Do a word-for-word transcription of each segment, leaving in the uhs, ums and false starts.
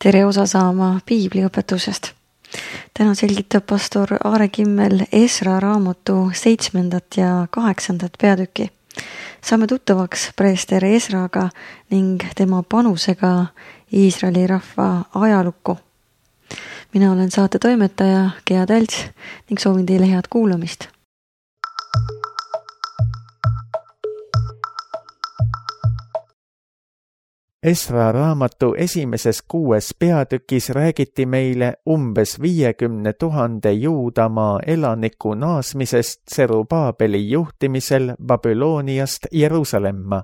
tere osa saama piibliõpetusest. Täna selgitab pastor Aare Kimmel Esra raamatu seitsmendat ja kaheksandat peatükki. Saame tuttavaks preester Esraga ning tema panusega Iisraeli rahva ajalukku. Mina olen saate toimetaja Gea Tälts ning soovin teile head kuulamist. Esra raamatu esimeses kuues peatükis räägiti meile umbes viiekümne tuhande Juudamaa elaniku naasmisest Serubaabeli juhtimisel Babyloniast Jeruusalemma.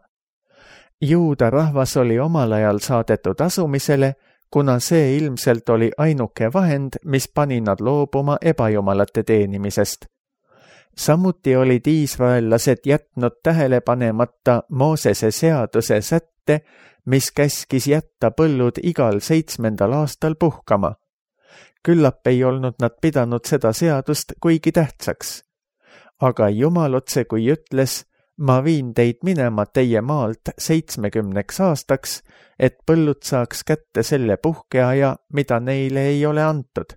Juuda rahvas oli omal ajal saadetud asumisele, kuna see ilmselt oli ainuke vahend, mis pani nad loobuma ebajumalate teenimisest. Samuti olid iisraellased jätnud tähele panemata Moosese seaduse sätte, mis käskis jätta põllud igal seitsmendal aastal puhkama. Küllap ei olnud nad pidanud seda seadust kuigi tähtsaks. Aga Jumal otse kui ütles, ma viin teid minema teie maalt seitsmekümneks aastaks, et põllud saaks kätte selle puhkeaja, mida neile ei ole antud.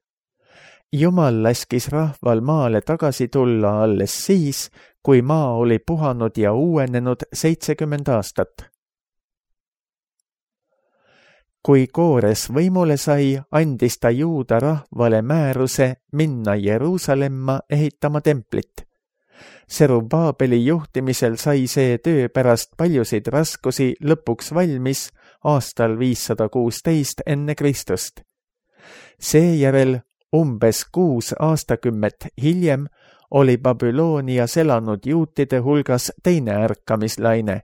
Jumal laskis rahval maale tagasi tulla alles siis, kui maa oli puhanud ja uuenenud seitsekümmend aastat. Kui Koores võimule sai, andis ta Juuda rahvale määruse minna Jeruusalemma ehitama templit. Serubaabeli juhtimisel sai see töö pärast paljusid raskusi lõpuks valmis aastal viissada kuusteist enne Kristust. Seejärel umbes kuus aastakümmet hiljem oli Babylonias elanud juutide hulgas teine ärkamislaine.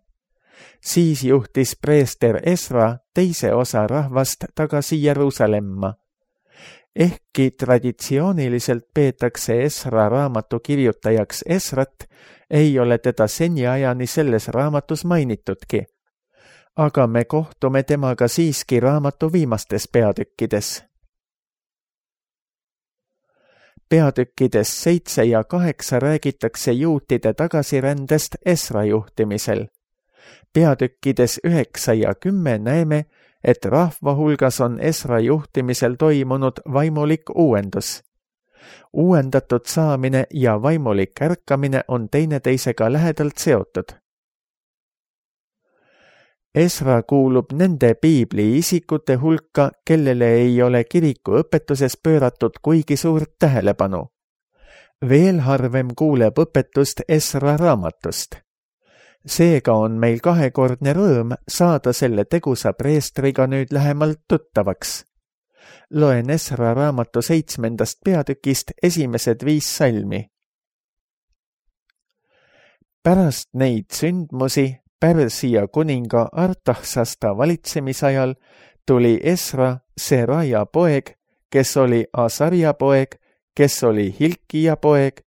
Siis juhtis preester Esra teise osa rahvast tagasi Jeruusalemma. Ehkki traditsiooniliselt peetakse Esra raamatu kirjutajaks Esrat, ei ole teda seniajani selles raamatus mainitudki. Aga me kohtume temaga siiski raamatu viimastes peatükkides. Peatükkides seitse ja kaheksa räägitakse juutide tagasirändest Esra juhtimisel. Peatükkides üheksa ja kümme näeme, et rahva hulgas on Esra juhtimisel toimunud vaimulik uuendus. Uuendatud saamine ja vaimulik ärkamine on teineteisega lähedalt seotud. Esra kuulub nende piibli isikute hulka, kellele ei ole kiriku õpetuses pööratud kuigi suurt tähelepanu. Veel harvem kuuleb õpetust Esra raamatust. Seega on meil kahekordne rõõm saada selle tegusa preestriga nüüd lähemalt tuttavaks. Loen Esra raamatu seitsmendast peatükist esimesed viis salmi. Pärast neid sündmusi Pärsia kuninga Artaxasta valitsemisajal tuli Esra, Seraja poeg, kes oli Asarja poeg, kes oli Hilkia poeg,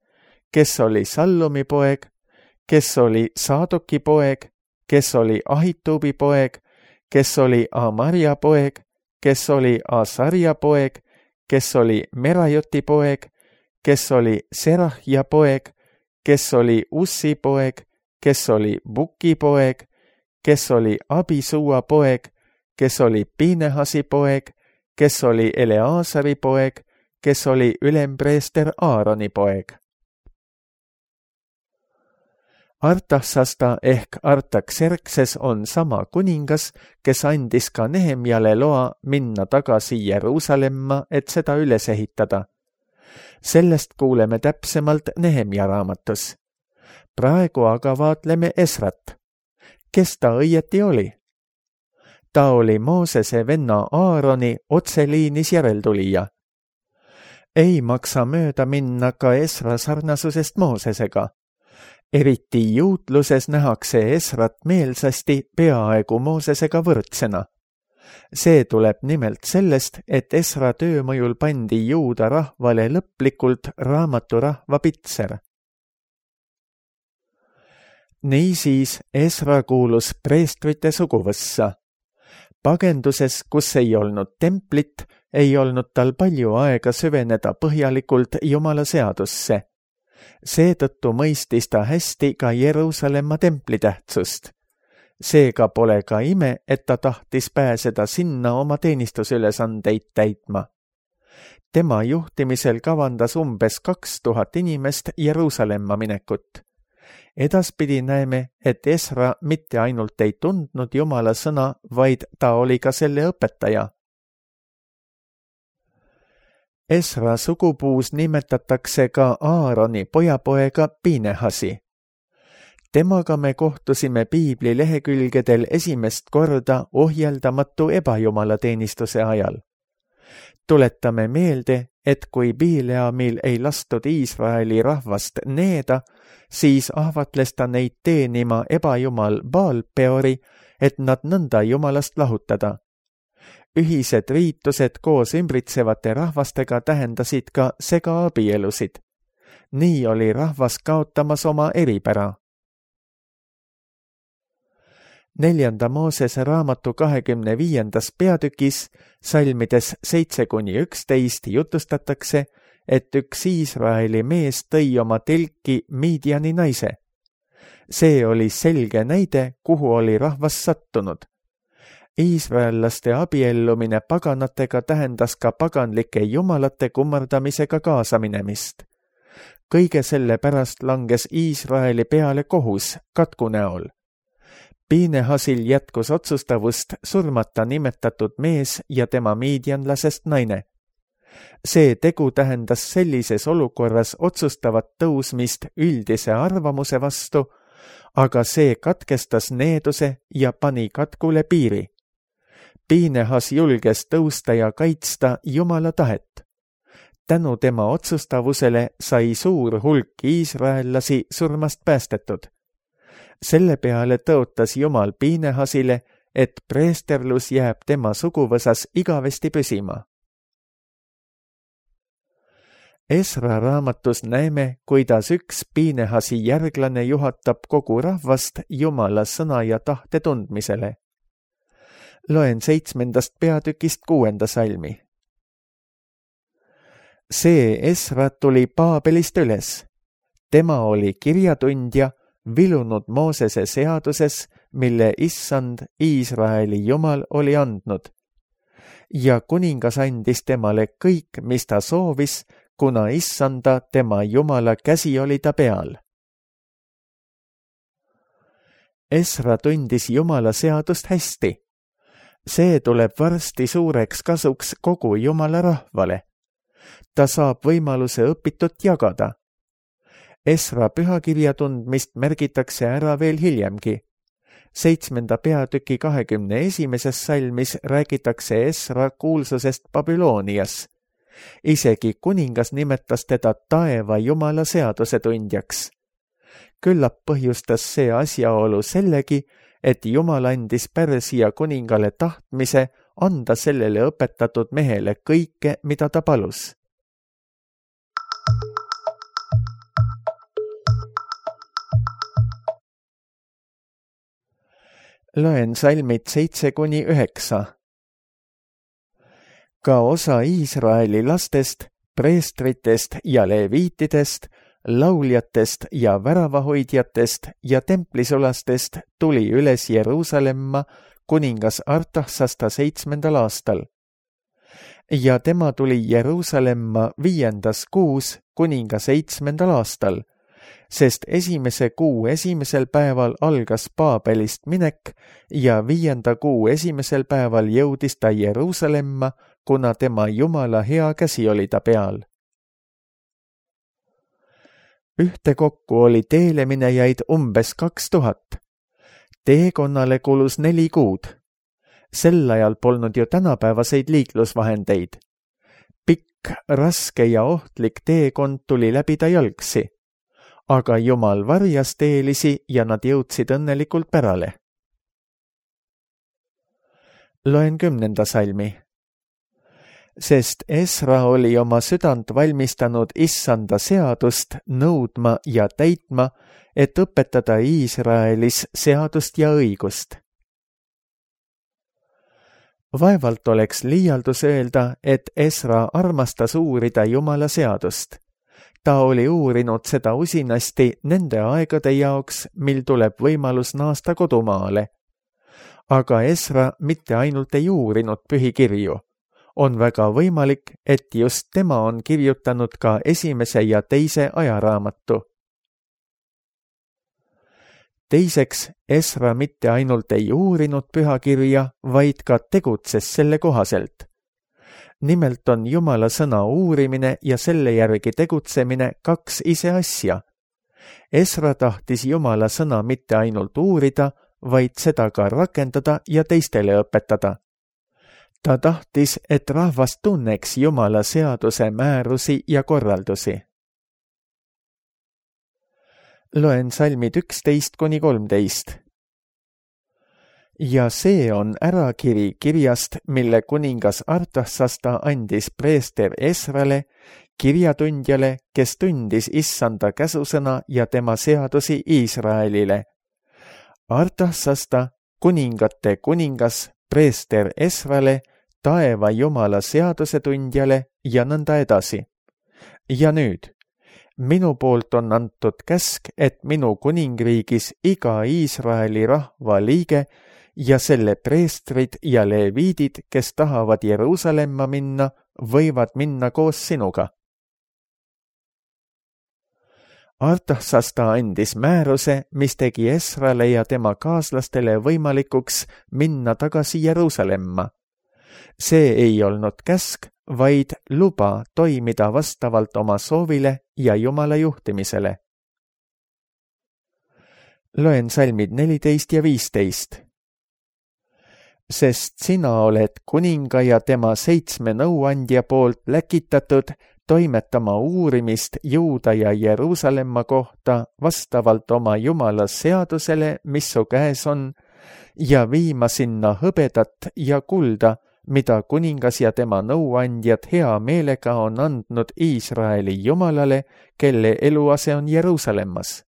kes oli Sallumi poeg, kes oli Saadoki poeg, kes oli Ahitubi poeg, kes oli Amarja poeg, kes oli Asarja poeg, kes oli Merajoti poeg, kes oli Serahja poeg, kes oli Ussi poeg, kes oli Buki poeg, kes oli Abisua poeg, kes oli Pinehasi poeg, kes oli Eleasari poeg, kes oli ülempreester Aaroni poeg. Artaxasta ehk Artaxerxes on sama kuningas, kes andis ka Nehemjale loa minna tagasi Jeruusalemma, et seda üles ehitada. Sellest kuuleme täpsemalt Nehemja raamatus. Praegu aga vaatleme Esrat. Kes ta õieti oli? Ta oli Moosese venna Aaroni otseliinis järeltulija. Ei maksa mööda minna ka Esra sarnasusest Moosesega. Eriti juutluses nähakse Esrat meelsasti peaaegu Moosesega võrdsena. See tuleb nimelt sellest, et Esra töö mõjul pandi Juuda rahvale lõplikult raamatu rahva pitser. Niisiis Esra kuulus preestrite suguvõssa. Pagenduses, kus ei olnud templit, ei olnud tal palju aega süveneda põhjalikult Jumala seadusse. Seetõttu mõistis ta hästi ka Jeruusalemma templi tähtsust. Seega pole ka ime, et ta tahtis pääseda sinna oma teenistusülesandeid täitma. Tema juhtimisel kavandas umbes kaks tuhat inimest Jeruusalemma minekut. Edaspidi näeme, et Esra mitte ainult ei tundnud Jumala sõna, vaid ta oli ka selle õpetaja. Esra sugupuus nimetatakse ka Aaroni pojapoega Pinehasi. Temaga me kohtusime piibli lehekülgedel esimest korda ohjeldamatu ebajumalateenistuse ajal. Tuletame meelde, et kui Bileamil ei lastud Iisraeli rahvast needa, siis ahvatles ta neid teenima ebajumal Baal-peori, et nad nõnda jumalast lahutada. Ühised riitused koos ümbritsevate rahvastega tähendasid ka segaabielusid. Nii oli rahvas kaotamas oma eripära. Neljanda Moosese raamatu kahekümne viiendas peatükis, salmides seitse kuni üksteist jutustatakse, et üks Iisraeli mees tõi oma telki Midiani naise. See oli selge näide, kuhu oli rahvas sattunud. Iisraellaste abiellumine paganatega tähendas ka paganlike jumalate kummardamisega kaasaminemist. Kõige selle pärast langes Iisraeli peale kohus katku näol. Pinehasil jätkus otsustavust surmata nimetatud mees ja tema miidianlasest naine. See tegu tähendas sellises olukorras otsustavat tõusmist üldise arvamuse vastu, aga see katkestas needuse ja pani katkule piiri. Pinehas julges tõusta ja kaitsta Jumala tahet. Tänu tema otsustavusele sai suur hulk iisraellasi surmast päästetud. Selle peale tõotas Jumal Pinehasile, et preesterlus jääb tema suguvõsas igavesti püsima. Esra raamatus näeme, kuidas üks Pinehasi järglane juhatab kogu rahvast Jumala sõna ja tahte tundmisele. Loen seitsmendast peatükist kuuenda salmi. See Esra tuli Paabelist üles. Tema oli kirjatundja, vilunud Moosese seaduses, mille issand Iisraeli Jumal oli andnud. Ja kuningas andis temale kõik, mis ta soovis, kuna issanda tema Jumala käsi oli ta peal. Esra tundis Jumala seadust hästi. See tuleb varsti suureks kasuks kogu Jumala rahvale. Ta saab võimaluse õpitut jagada. Esra pühakirja tundmist märgitakse ära veel hiljemgi. Seitsmenda peatüki kahekümne esimeses salmis räägitakse Esra kuulsusest Babylonias. Isegi kuningas nimetas teda taeva Jumala seaduse tundjaks. Küllap põhjustas see asjaolu sellegi, et Jumal andis Pärsia kuningale tahtmise anda sellele õpetatud mehele kõike, mida ta palus. Loen salmid seitse kuni üheksa. Ka osa Iisraeli lastest, preestritest ja leviitidest, lauljatest ja väravahoidjatest ja templisulastest tuli üles Jeruusalemma kuningas Artaksasta seitsmendal aastal. Ja tema tuli Jeruusalemma viiendas kuus kuninga seitsmendal aastal, sest esimese kuu esimesel päeval algas Paabelist minek ja viienda kuu esimesel päeval jõudis ta Jeruusalemma, kuna tema Jumala hea käsi oli ta peal. Ühtekokku oli teele minejaid umbes kaks tuhat. Teekonnale kulus neli kuud. Sel ajal polnud ju tänapäevaseid liiklusvahendeid. Pikk, raske ja ohtlik teekond tuli läbida jalgsi. Aga Jumal varjas teelisi ja nad jõudsid õnnelikult pärale. Loen kümnenda salmi. Sest Esra oli oma südant valmistanud issanda seadust nõudma ja täitma, et õpetada Iisraelis seadust ja õigust. Vaevalt oleks liialdus öelda, et Esra armastas uurida Jumala seadust. Ta oli uurinud seda usinasti nende aegade jaoks, mil tuleb võimalus naasta kodumaale. aga Esra mitte ainult ei uurinud pühikirju. On väga võimalik, et just tema on kirjutanud ka esimese ja teise ajaraamatu. Teiseks, Esra mitte ainult ei uurinud pühakirja, vaid ka tegutses selle kohaselt. Nimelt on Jumala sõna uurimine ja selle järgi tegutsemine kaks ise asja. Esra tahtis Jumala sõna mitte ainult uurida, vaid seda ka rakendada ja teistele õpetada. Ta tahtis, et rahvas tunneks Jumala seaduse määrusi ja korraldusi. Loen salmid üksteist kuni kolmteist. Ja see on ärakiri kirjast, mille kuningas Artaksasta andis preester Esrale, kirjatundjale, kes tundis issanda käsusõna ja tema seadusi Iisraelile. Artaksasta, kuningate kuningas, preester Esrale, taeva Jumala seadusetundjale ja nõnda edasi. Ja nüüd, minu poolt on antud käsk, et minu kuningriigis iga Iisraeli rahva liige ja selle preestrid ja leviidid, kes tahavad Jeruusalemma minna, võivad minna koos sinuga. Artaksasta andis määruse, mis tegi Esrale ja tema kaaslastele võimalikuks minna tagasi Jeruusalemma. See ei olnud käsk, vaid luba toimida vastavalt oma soovile ja Jumala juhtimisele. Loen salmid neliteist ja viisteist. Sest sina oled kuninga ja tema seitsme nõuandja poolt läkitatud toimetama uurimist Juuda ja Jeruusalemma kohta vastavalt oma Jumala seadusele, mis su käes on, ja viima sinna hõbedat ja kulda, mida kuningas ja tema nõuandjad hea meelega on andnud Iisraeli Jumalale, kelle eluase on Jeruusalemmas.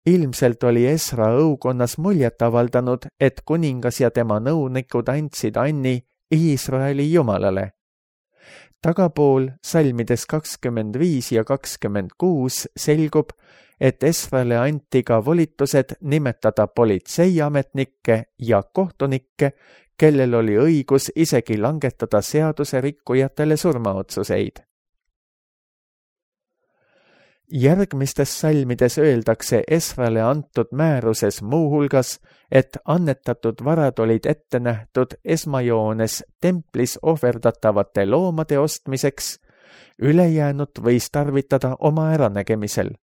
Ilmselt oli Esra õukonnas muljet avaldanud, et kuningas ja tema nõunikud andsid anni Iisraeli Jumalale. Tagapool salmides kakskümmend viis ja kakskümmend kuus selgub, et Esrale anti ka volitused nimetada politseiametnikke ja kohtunikke, kellel oli õigus isegi langetada seaduse rikkujatele surmaotsuseid. Järgmistes salmides öeldakse Esrale antud määruses muuhulgas, et annetatud varad olid ette nähtud esmajoones templis ohverdatavate loomade ostmiseks, ülejäänut võis tarvitada oma äranägemisel.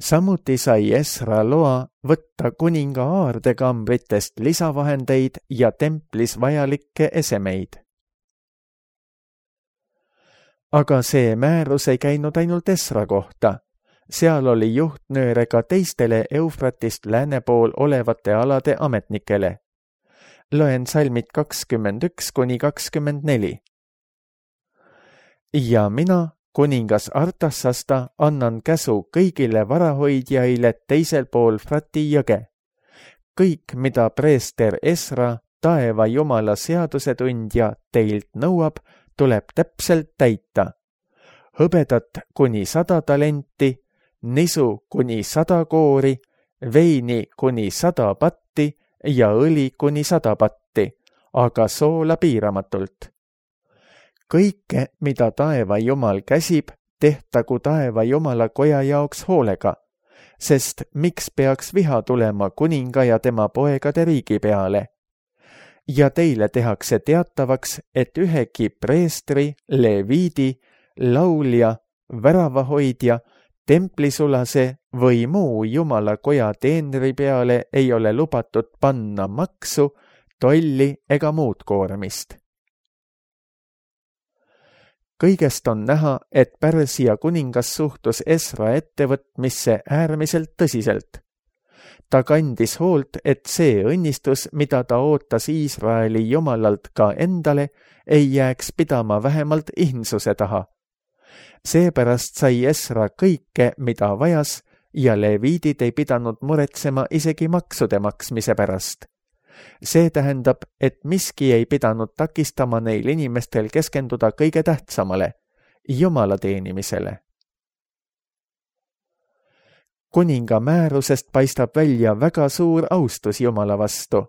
Samuti sai Esra loa võtta kuninga aardekambritest lisavahendeid ja templis vajalikke esemeid. Aga see määrus ei käinud ainult Esra kohta. Seal oli juhtnööre ka teistele Eufratist lääne pool olevate alade ametnikele. Loen salmid kakskümmend üks kuni kakskümmend neli. Ja mina, kuningas Artaksasta, annan käsu kõigile varahoidjaile teisel pool Frati jõge. Kõik, mida preester Esra, taeva Jumala seadusetundja, teilt nõuab, tuleb täpselt täita. Hõbedat kuni sada talenti, nisu kuni sada koori, veini kuni sada patti ja õli kuni sada patti, aga soola piiramatult. Kõike, mida taeva Jumal käsib, tehtagu taeva Jumala koja jaoks hoolega, sest miks peaks viha tulema kuninga ja tema poegade riigi peale? Ja teile tehakse teatavaks, et ühegi preestri, leviidi, laulja, väravahoidja, templisulase või muu Jumala koja teenri peale ei ole lubatud panna maksu, tolli ega muud koormist. Kõigest on näha, et Pärsia kuningas suhtus Esra ettevõtmisse äärmiselt tõsiselt. Ta kandis hoolt, et see õnnistus, mida ta ootas Iisraeli Jumalalt ka endale, ei jääks pidama vähemalt ihnsuse taha. Seepärast sai Esra kõike, mida vajas, ja leviidid ei pidanud muretsema isegi maksude maksmise pärast. See tähendab, et miski ei pidanud takistama neil inimestel keskenduda kõige tähtsamale, Jumala teenimisele. kuninga määrusest paistab välja väga suur austus Jumala vastu.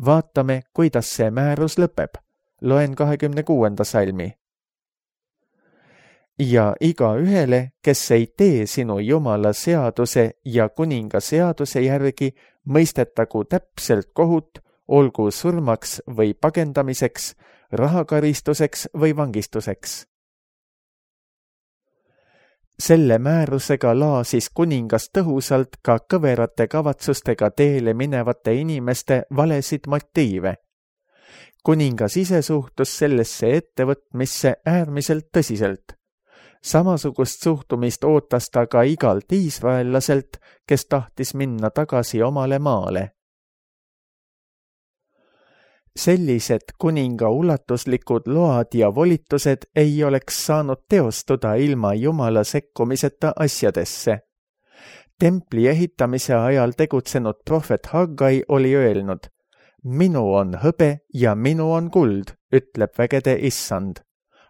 Vaatame, kuidas see määrus lõpeb. Loen kahekümne kuuenda salmi. Ja iga ühele, kes ei tee sinu Jumala seaduse ja kuninga seaduse järgi, mõistetagu täpselt kohut, olgu surmaks või pagendamiseks, rahakaristuseks või vangistuseks. Selle määrusega laasis kuningas tõhusalt ka kõverate kavatsustega teele minevate inimeste valesid motiive. Kuningas ise suhtus sellesse ettevõtmisse äärmiselt tõsiselt. Samasugust suhtumist ootas ta ka igalt iisraellaselt, kes tahtis minna tagasi omale maale. Sellised kuninga ulatuslikud load ja volitused ei oleks saanud teostuda ilma Jumala sekkumiseta asjadesse. Templi ehitamise ajal tegutsenud prohvet Haggai oli öelnud, minu on hõbe ja minu on kuld, ütleb vägede issand.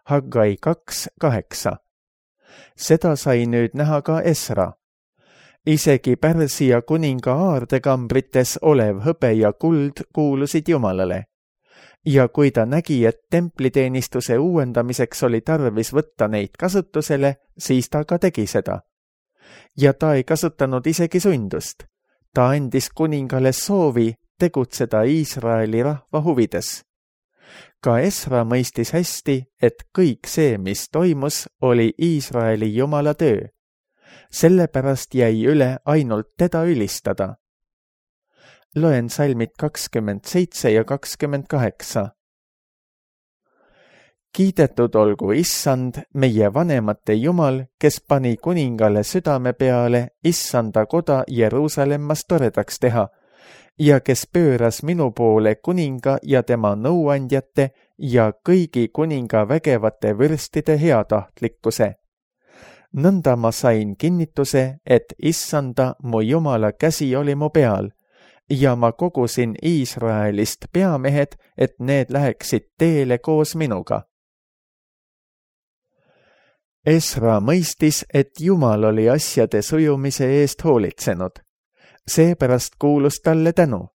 Haggai kaks kaheksa. Seda sai nüüd näha ka Esra. Isegi Pärsia kuninga aardekambrites olev hõbe ja kuld kuulusid Jumalale. Ja kui ta nägi, et templiteenistuse uuendamiseks oli tarvis võtta neid kasutusele, siis ta ka tegi seda. Ja ta ei kasutanud isegi sundust. Ta andis kuningale soovi tegutseda Iisraeli rahva huvides. Ka Esra mõistis hästi, et kõik see, mis toimus, oli Iisraeli Jumala töö. Sellepärast jäi üle ainult teda ülistada. Loen salmid kakskümmend seitse ja kakskümmend kaheksa. Kiidetud olgu issand, meie vanemate Jumal, kes pani kuningale südame peale issanda koda Jeruusalemmas toredaks teha ja kes pööras minu poole kuninga ja tema nõuandjate ja kõigi kuninga vägevate vürstide heatahtlikkuse. Nõnda ma sain kinnituse, et issanda mu Jumala käsi oli mu peal ja ma kogusin Iisraelist peamehed, et need läheksid teele koos minuga. Esra mõistis, et Jumal oli asjade sujumise eest hoolitsenud. Seepärast kuulus talle tänu.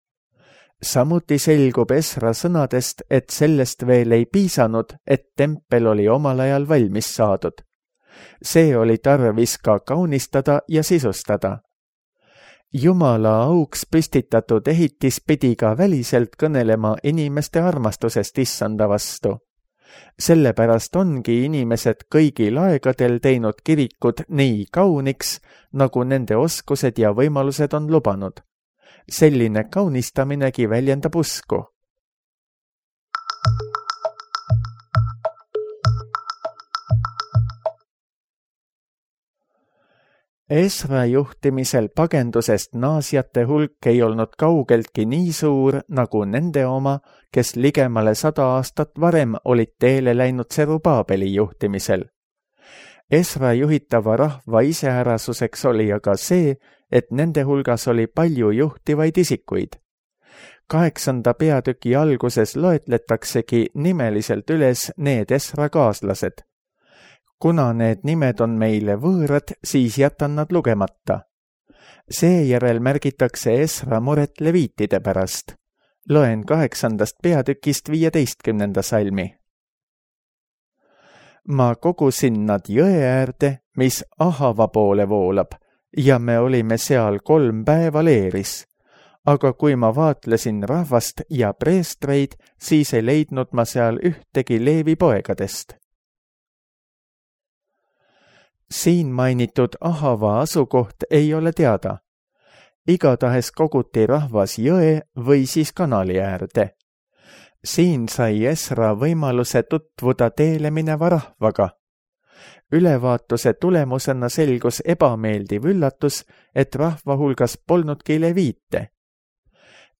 Samuti selgub Esra sõnadest, et sellest veel ei piisanud, et tempel oli omal ajal valmis saadud. See oli tarvis ka kaunistada ja sisustada. Jumala auks püstitatud ehitis pidi ka väliselt kõnelema inimeste armastusest issanda vastu. Sellepärast ongi inimesed kõigil aegadel teinud kirikud nii kauniks, nagu nende oskused ja võimalused on lubanud. Selline kaunistaminegi väljendab usku. Esra juhtimisel pagendusest naasjate hulk ei olnud kaugeltki nii suur nagu nende oma, kes ligemale sada aastat varem olid teele läinud Serubaabeli juhtimisel. Esra juhitava rahva iseärasuseks oli aga see, et nende hulgas oli palju juhtivaid isikuid. Kaheksanda peatüki alguses loetletaksegi nimeliselt üles need Esra kaaslased. Kuna need nimed on meile võõrad, siis jätan nad lugemata. Seejärel märgitakse Esra muret leviitide pärast. Loen kaheksandast peatükist viieteistkümnenda salmi. Ma kogusin nad jõe äärde, mis Ahava poole voolab, ja me olime seal kolm päeva leeris. Aga kui ma vaatlesin rahvast ja preestreid, siis ei leidnud ma seal ühtegi Leevi poegadest. Siin mainitud Ahava asukoht ei ole teada. Igatahes koguti rahvas jõe või siis kanali äärde. Siin sai Esra võimaluse tutvuda teele mineva rahvaga. Ülevaatuse tulemusena selgus ebameeldiv üllatus, et rahva hulgas polnudki leviite.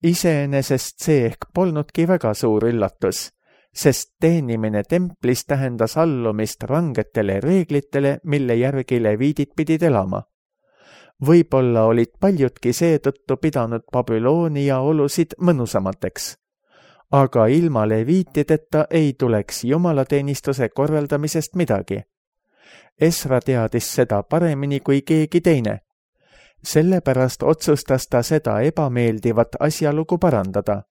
Iseenesest see ehk polnudki väga suur üllatus, sest teenimine templis tähendas allumist rangetele reeglitele, mille järgi leviidid pidid elama. Võib-olla olid paljudki seetõttu pidanud Babyloonia olusid mõnusamateks. Aga ilma leviitideta ei tuleks jumalateenistuse korraldamisest midagi. Esra teadis seda paremini kui keegi teine. sellepärast otsustas ta seda ebameeldivat asjalugu parandada.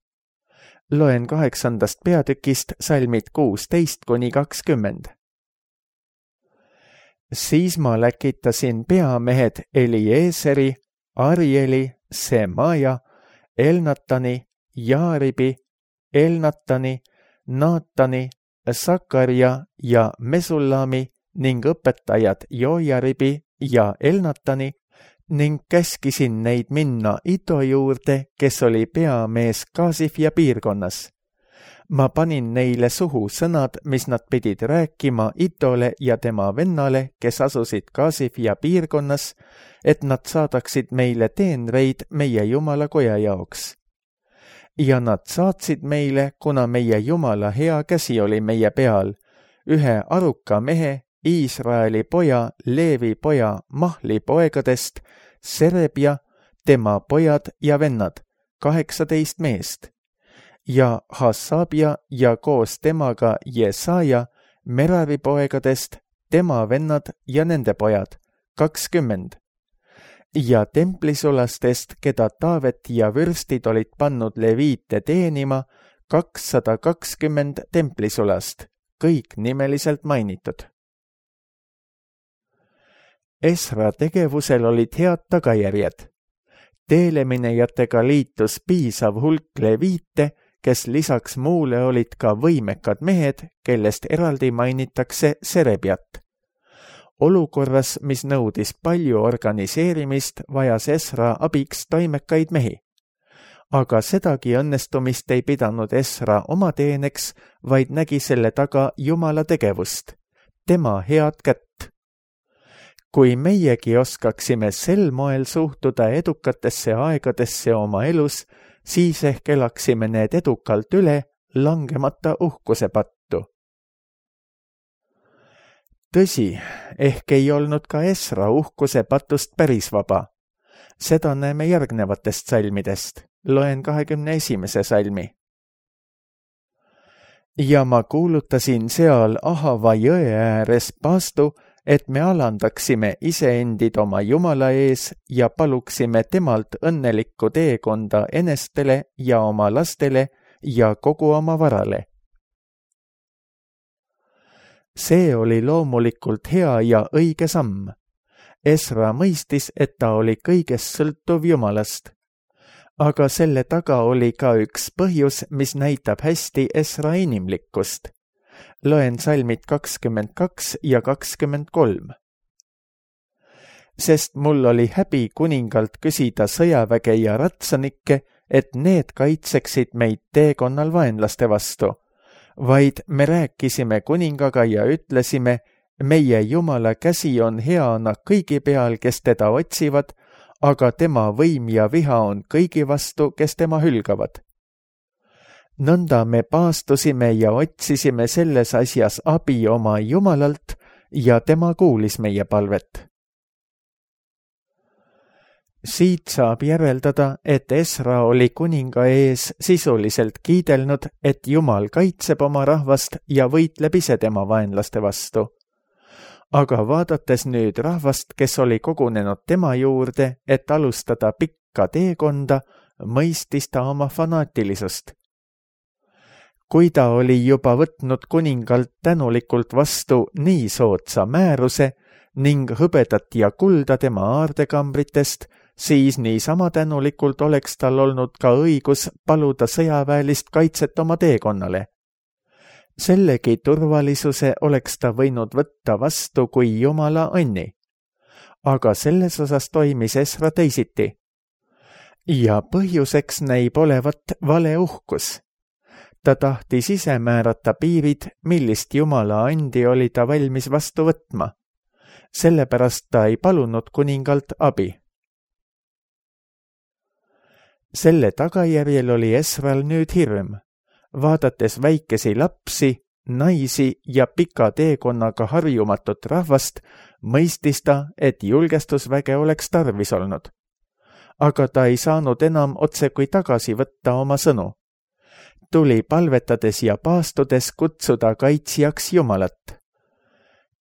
Loen kaheksandast peatükist salmid kuusteist kuni kakskümmend. Siis ma läkitasin peamehed Elieseri, Arieli, Semaja, Elnatani, Jaaribi, Elnatani, Naatani, Sakarja ja Mesullami ning õpetajad Joojaribi ja Elnatani ning käskisin neid minna Ido juurde, kes oli peamees Kaasifja piirkonnas. Ma panin neile suhu sõnad, mis nad pidid rääkima Idole ja tema vennale, kes asusid Kaasifja piirkonnas, et nad saadaksid meile teenreid meie Jumala koja jaoks. Ja nad saatsid meile, kuna meie Jumala hea käsi oli meie peal, ühe aruka mehe, Iisraeli poja, Leevi poja, Mahli poegadest, Serebja, tema pojad ja vennad, kaheksateist meest, ja Hassabja ja koos temaga Jesaja, Merari poegadest, tema vennad ja nende pojad, kakskümmend. Ja templisulastest, keda Taavet ja vürstid olid pannud leviite teenima, kakssada kakskümmend templisulast, kõik nimeliselt mainitud. Esra tegevusel olid head tagajärjed. Teeleminejatega liitus piisav hulk leviite, kes lisaks muule olid ka võimekad mehed, kellest eraldi mainitakse Serebjat. Olukorras, mis nõudis palju organiseerimist, vajas Esra abiks toimekaid mehi. Aga sedagi õnnestumist ei pidanud Esra oma teeneks, vaid nägi selle taga Jumala tegevust, tema head kätt. Kui meiegi oskaksime sel moel suhtuda edukatesse aegadesse oma elus, siis ehk elaksime need edukalt üle, langemata uhkuse pattu. Tõsi, ehk ei olnud ka Esra uhkuse patust päris vaba. Seda näeme järgnevatest salmidest. Loen kahekümne esimese salmi. Ja ma kuulutasin seal Ahava jõe ääres paastu, et me alandaksime iseendid oma Jumala ees ja paluksime temalt õnnelikku teekonda enestele ja oma lastele ja kogu oma varale. See oli loomulikult hea ja õige samm. Esra mõistis, et ta oli kõigest sõltuv Jumalast. Aga selle taga oli ka üks põhjus, mis näitab hästi Esra inimlikkust. Loen salmid kakskümmend kaks ja kakskümmend kolm. Sest mul oli häbi kuningalt küsida sõjaväge ja ratsanikke, et need kaitseksid meid teekonnal vaenlaste vastu, vaid me rääkisime kuningaga ja ütlesime, meie Jumala käsi on heana kõigi peal, kes teda otsivad, aga tema võim ja viha on kõigi vastu, kes tema hülgavad. Nõnda me paastusime ja otsisime selles asjas abi oma Jumalalt ja tema kuulis meie palvet. Siit saab järeldada, et Esra oli kuninga ees sisuliselt kiidelnud, et Jumal kaitseb oma rahvast ja võitleb ise tema vaenlaste vastu. Aga vaadates nüüd rahvast, kes oli kogunenud tema juurde, et alustada pikka teekonda, mõistis ta oma fanaatilisust. Kui ta oli juba võtnud kuningalt tänulikult vastu nii soodsa määruse ning hõbedat ja kulda tema aardekambritest, siis niisama tänulikult oleks tal olnud ka õigus paluda sõjaväelist kaitset oma teekonnale. Sellegi turvalisuse oleks ta võinud võtta vastu kui Jumala anni. Aga selles osas toimis Esra teisiti. Ja põhjuseks näib olevat vale uhkus. Ta tahtis ise määrata piirid, millist Jumala andi oli ta valmis vastu võtma. Sellepärast ta ei palunud kuningalt abi. Selle tagajärjel oli Esral nüüd hirm. Vaadates väikesi lapsi, naisi ja pika teekonnaga harjumatut rahvast, mõistis ta, et julgestusväge oleks tarvis olnud. Aga ta ei saanud enam otse kui tagasi võtta oma sõnu. Tuli palvetades ja paastudes kutsuda kaitsjaks Jumalat.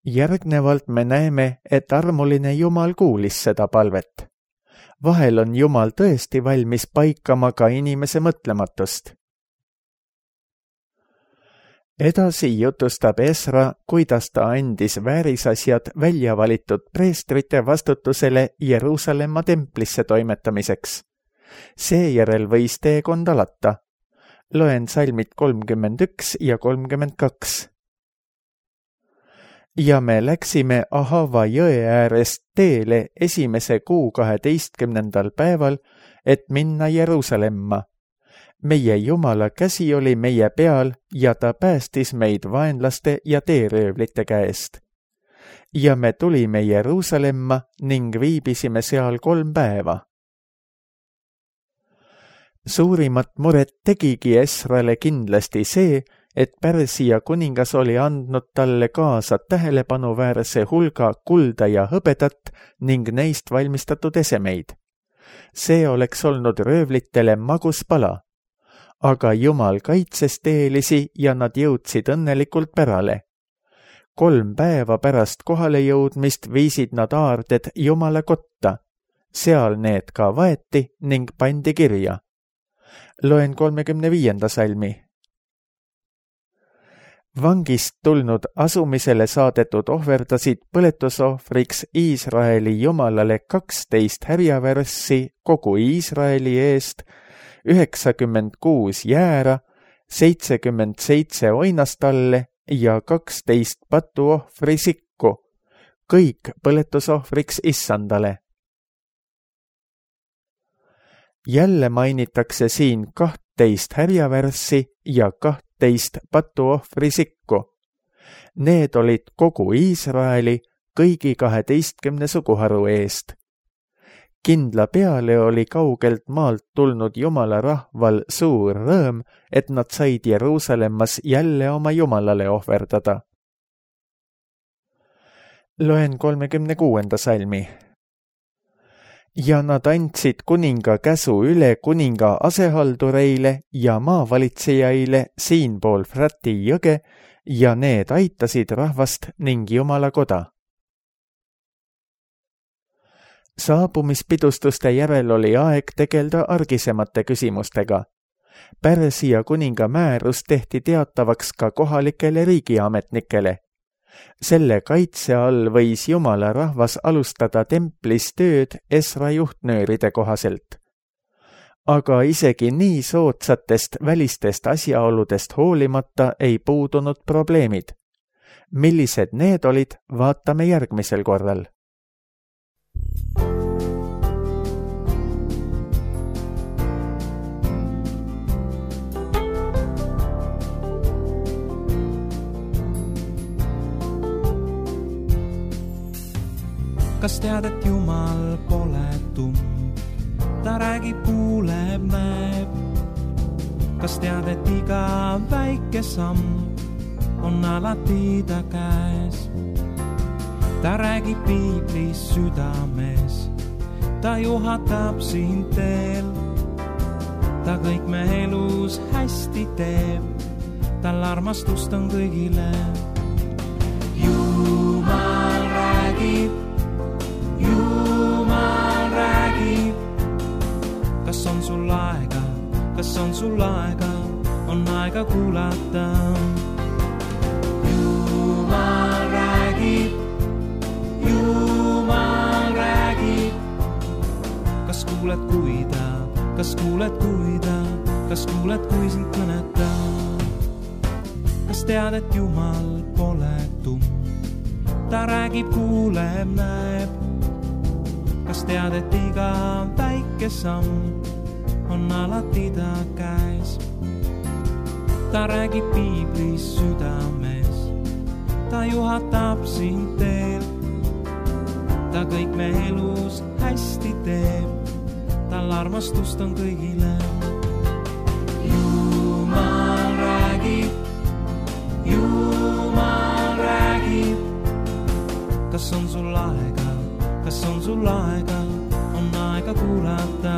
Järgnevalt me näeme, et armuline Jumal kuulis seda palvet. Vahel on Jumal tõesti valmis paikama ka inimese mõtlematust. Edasi jutustab Esra, kuidas ta andis väärisasjad välja valitud preestrite vastutusele Jeruusalemma templisse toimetamiseks. Seejärel võis teekond alata. Loen salmid kolmkümmend üks ja kolmkümmend kaks. Ja me läksime Ahava jõe äärest teele esimese kuu kaheteistkümnendal päeval, et minna Jeruusalemma. Meie Jumala käsi oli meie peal ja ta päästis meid vaenlaste ja teeröövlite käest. Ja me tulime Jeruusalemma ning viibisime seal kolm päeva. Suurimat muret tegigi Esrale kindlasti see, et Pärsia kuningas oli andnud talle kaasa tähelepanuväärse hulga kulda ja hõbedat ning neist valmistatud esemeid. See oleks olnud röövlitele magus pala. Aga Jumal kaitses teelisi ja nad jõudsid õnnelikult pärale. Kolm päeva pärast kohale jõudmist viisid nad aarded Jumala kotta. Seal need ka vaeti ning pandi kirja. Loen kolmekümne viienda salmi. Vangist tulnud asumisele saadetud ohverdasid põletusohvriks Iisraeli Jumalale kaksteist härjavärssi kogu Iisraeli eest, üheksakümmend kuus jäära, seitsekümmend seitse oinastalle ja kaksteist patuohvri sikku, kõik põletusohvriks Issandale. Jälle mainitakse siin kahtteist härjavärssi ja kahtteist patuohvri sikku. Need olid kogu Iisraeli kõigi kaheteistkümne suguharu eest. Kindla peale oli kaugelt maalt tulnud Jumala rahval suur rõõm, et nad said Jeruusalemmas jälle oma Jumalale ohverdada. Loen kolmekümne kuuenda salmi. Ja nad andsid kuninga käsu üle kuninga asehaldureile ja maavalitsejaile siinpool Frati jõge ja need aitasid rahvast ning Jumala koda. Saabumispidustuste järel oli aeg tegelda argisemate küsimustega. Pärsia kuninga määrus tehti teatavaks ka kohalikele riigiametnikele. Selle kaitse all võis Jumala rahvas alustada templis tööd Esra juhtnööride kohaselt. Aga isegi nii soodsatest välistest asjaoludest hoolimata ei puudunud probleemid. Millised need olid, vaatame järgmisel korral. Kas tead, et Jumal pole tumm? Ta räägib, kuuleb, näeb. Kas tead, et iga väike samm on alati ta käes? Ta räägib piiblis südames, ta juhatab sind teel. Ta kõik me elus hästi teeb, tal armastust on kõigile. Jumal räägib, Jumal räägib. Kas on sul aega, kas on sul aega, on aega kuulata. Jumal räägib, Jumal räägib. Kas kuuled, kui ta, kas kuuled, kui ta, kas kuuled, kui sind kõnetab? Kas tead, et Jumal pole tumm? Ta räägib, kuuleb, näeb. Kas tead, et iga väike samm on alati ta käes? Ta räägib piiblis südames, ta juhatab sind teel. Ta kõik me elus hästi teeb, tal armastust on kõigile. Jumal räägib, Jumal räägib. Kas on sul aega, kas on sul aega, on aega kuulata.